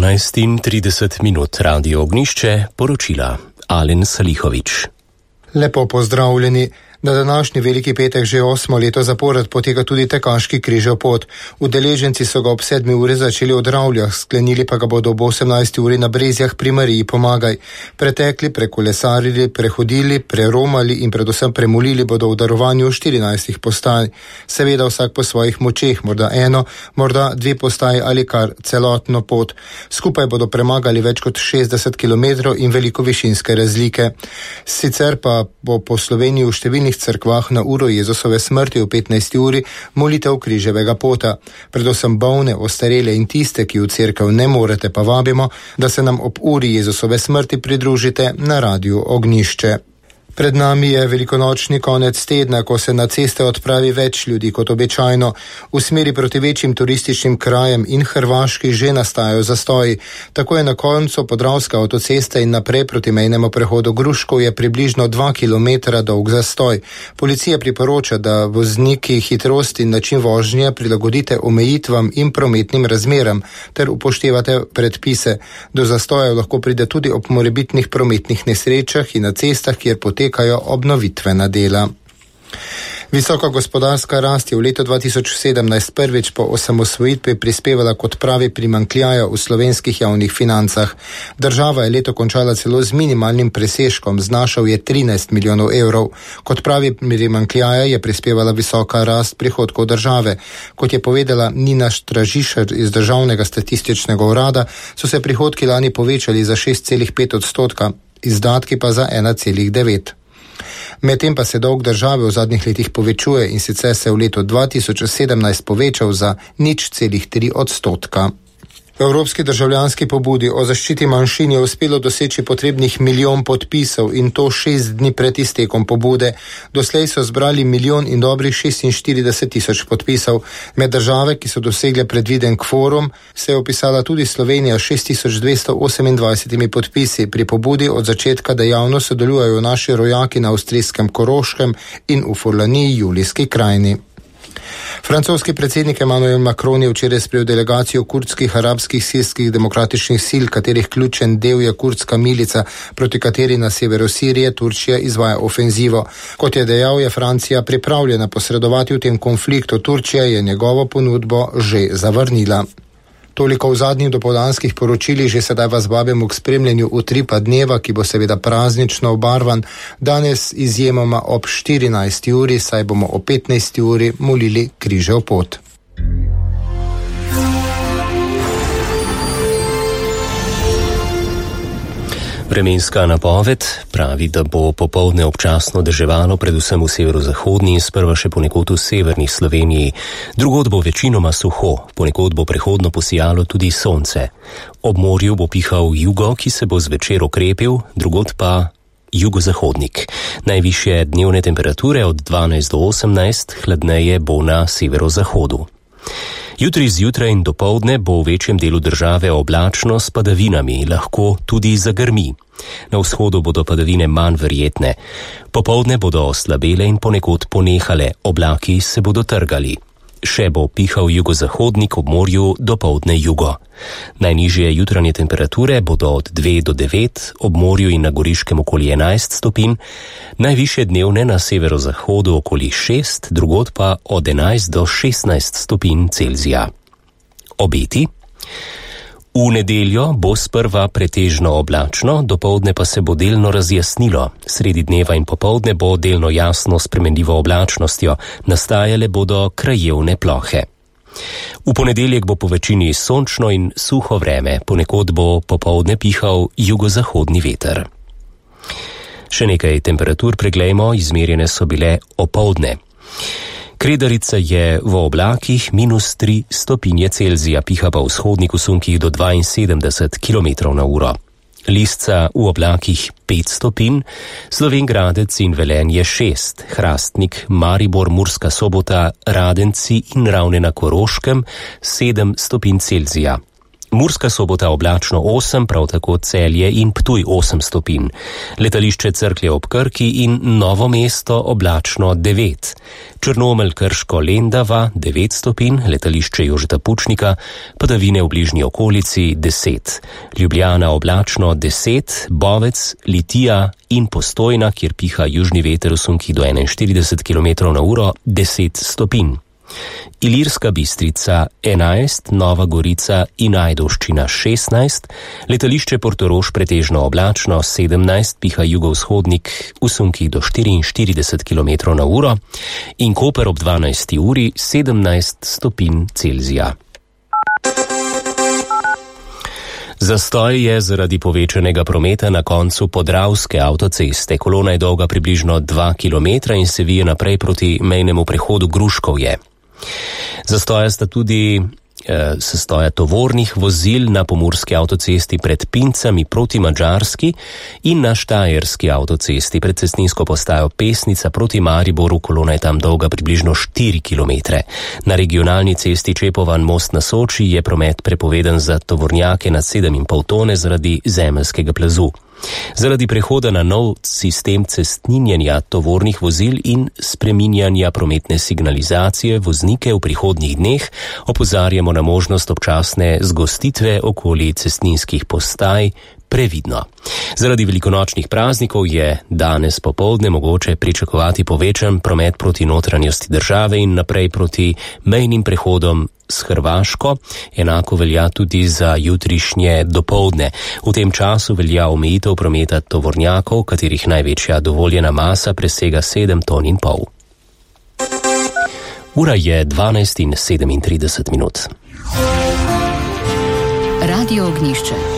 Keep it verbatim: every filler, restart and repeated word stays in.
dvanajst in trideset minut, Radio Ognišče, poročila Alen Salihovič. Lepo pozdravljeni. Na današnji veliki petek že osmo leto zapored poteka tudi tekaški križev pot. Udeleženci so ga ob sedmi uri začeli v Dravljah, sklenili pa ga bodo ob osemnajsti uri na Brezjah pri Mariji Pomagaj. Pretekli, prekolesarili, prehodili, preromali in predvsem premolili bodo v darovanju štirinajstih postaj. Seveda vsak po svojih močeh, morda eno, morda dve postaji ali kar celotno pot. Skupaj bodo premagali več kot šestdeset kilometrov in veliko višinske razlike. Sicer pa bo po Sloveniji v številnih cerkvah na uro Jezusove smrti v petnajsti uri molitev križevega pota. Predvsem bolne, ostarele in tiste, ki v cerkev ne morete, pa vabimo, da se nam ob uri Jezusove smrti pridružite na Radiu Ognišče. Pred nami je velikonočni konec tedna, ko se na ceste odpravi več ljudi kot običajno. V smeri proti večjim turističnim krajem in Hrvaški že nastajajo zastoji. Tako je na koncu Podravska avtocesta in naprej proti mejnemu prehodu Gruškov je približno dva kilometra dolg zastoj. Policija priporoča, da vozniki hitrosti in način vožnje prilagodite omejitvam in prometnim razmeram ter upoštevate predpise. Do zastojev lahko pride tudi ob morebitnih prometnih nesrečah in na cestah, kjer potekajo obnovitvena dela. Visoka gospodarska rast je v letu dva tisoč sedemnajst prvič po osamosvojitvi prispevala k odpravi primanjkljaja v slovenskih javnih financah. Država je leto končala celo z minimalnim presežkom, znašal je trinajst milijonov evrov. Kot pravi primanjkljaja je prispevala visoka rast prihodkov države. Kot je povedala Nina Štražišer iz Državnega statističnega urada, so se prihodki lani povečali za šest celih pet odstotka, izdatki pa za ena celih devet. Medtem pa se dolg države v zadnjih letih povečuje in sicer se je v letu dva tisoč sedemnajst povečal za nič celih tri odstotka. V Evropski državljanski pobudi o zaščiti manjšin je uspelo doseči potrebnih milijon podpisov in to šest dni pred iztekom pobude. Doslej so zbrali milijon in dobrih šestinštirideset tisoč podpisov. Med države, ki so dosegle predviden kvorum, se je opisala tudi Slovenija šest tisoč dvesto osemindvajset podpisi. Pri pobudi od začetka dejavno sodelujejo naši rojaki na avstrijskem Koroškem in v Furlaniji Julijski krajini. Francoski predsednik Emmanuel Macron je včeraj sprejel delegacijo kurdskih arabskih sirskih demokratičnih sil, katerih ključen del je kurdska milica, proti kateri na severu Sirije Turčija izvaja ofenzivo. Kot je dejal, je Francija pripravljena posredovati v tem konfliktu, Turčija je njegovo ponudbo že zavrnila. Toliko v zadnjih dopoldanskih poročilih, že sedaj vas vabimo k spremljanju utripa dneva, ki bo seveda praznično obarvan. Danes izjemoma ob štirinajsti uri, saj bomo ob petnajsti uri molili križev pot. Vremenska napoved pravi, da bo popoldne občasno deževalo predvsem v severozahodni in sprva še ponekod v severni Sloveniji. Drugod bo večinoma suho, ponekod bo prehodno posijalo tudi sonce. Ob morju bo pihal jugo, ki se bo zvečer okrepil, drugod pa jugozahodnik. Najvišje dnevne temperature od dvanajst do osemnajst, hladneje bo na severozahodu. Jutri zjutraj in dopoldne bo v večjem delu države oblačno s padavinami, lahko tudi zagrmi. Na vzhodu bodo padavine manj verjetne. Popoldne bodo oslabele in ponekod ponehale, oblaki se bodo trgali. Še bo pihal jugozahodnik, ob morju dopoldne jugo. Najnižje jutranje temperature bodo od dve do devet, ob morju in na Goriškem okoli enajst stopinj, najvišje dnevne na severozahodu okoli šest, drugod pa od enajst do šestnajst stopinj Celzija. Obeti? V nedeljo bo sprva pretežno oblačno, dopoldne pa se bo delno razjasnilo. Sredi dneva in popoldne bo delno jasno spremenljivo oblačnostjo, nastajale bodo krajevne plohe. V ponedeljek bo po večini sončno in suho vreme, ponekod bo popoldne pihal jugozahodni veter. Še nekaj temperatur preglejmo, izmerjene so bile opoldne. Kredarica je v oblakih minus tri stopinje Celzija, piha pa v vzhodnih usunkih do dvainsedemdeset kilometrov na uro. Lisca v oblakih pet stopinj, Slovenj Gradec in Velenje šest, Hrastnik, Maribor, Murska Sobota, Radenci in Ravne na Koroškem sedem stopinj Celzija. Murska Sobota oblačno osem, prav tako Celje in Ptuj osem stopinj. Letališče Cerklje ob Krki in Novo mesto oblačno devet. Črnomelj, Krško, Lendava devet stopinj, letališče Jožeta Pučnika, padavine v bližnji okolici deset. Ljubljana oblačno deset, Bovec, Litija in Postojna, kjer piha južni veter v sunkih do enainštirideset kilometrov na uro, deset stopinj. Ilirska Bistrica enajst, Nova Gorica in Ajdovščina šestnajst, letališče Portorož pretežno oblačno sedemnajst, piha jugovzhodnik v sunkih do štiriinštirideset kilometrov na uro in Koper ob dvanajsti uri sedemnajst stopinj Celzija. Zastoj je zaradi povečanega prometa na koncu Podravske avtoceste. Kolona je dolga približno dva kilometra in se vije naprej proti mejnemu prehodu Gruškovje. Zastoja sta tudi eh, sestoja tovornih vozil na pomurski avtocesti pred Pincami proti Madžarski in na štajerski avtocesti pred cestninsko postajo Pesnica proti Mariboru. Kolona je tam dolga približno štiri kilometre. Na regionalni cesti Čepovan most na Soči je promet prepovedan za tovornjake nad sedem in pol tone zaradi zemeljskega plazu. Zaradi prehoda na nov sistem cestninjenja tovornih vozil in spreminjanja prometne signalizacije voznike v prihodnjih dneh opozarjamo na možnost občasne zgostitve okoli cestninskih postaj previdno. Zaradi velikonočnih praznikov je danes popoldne mogoče pričakovati povečan promet proti notranjosti države in naprej proti mejnim prehodom s Hrvaško, enako velja tudi za jutrišnje dopoldne. V tem času velja omejitev prometa tovornjakov, katerih največja dovoljena masa presega sedem ton in pol. Ura je dvanajst in sedemintrideset minut. Radio Ognjišče.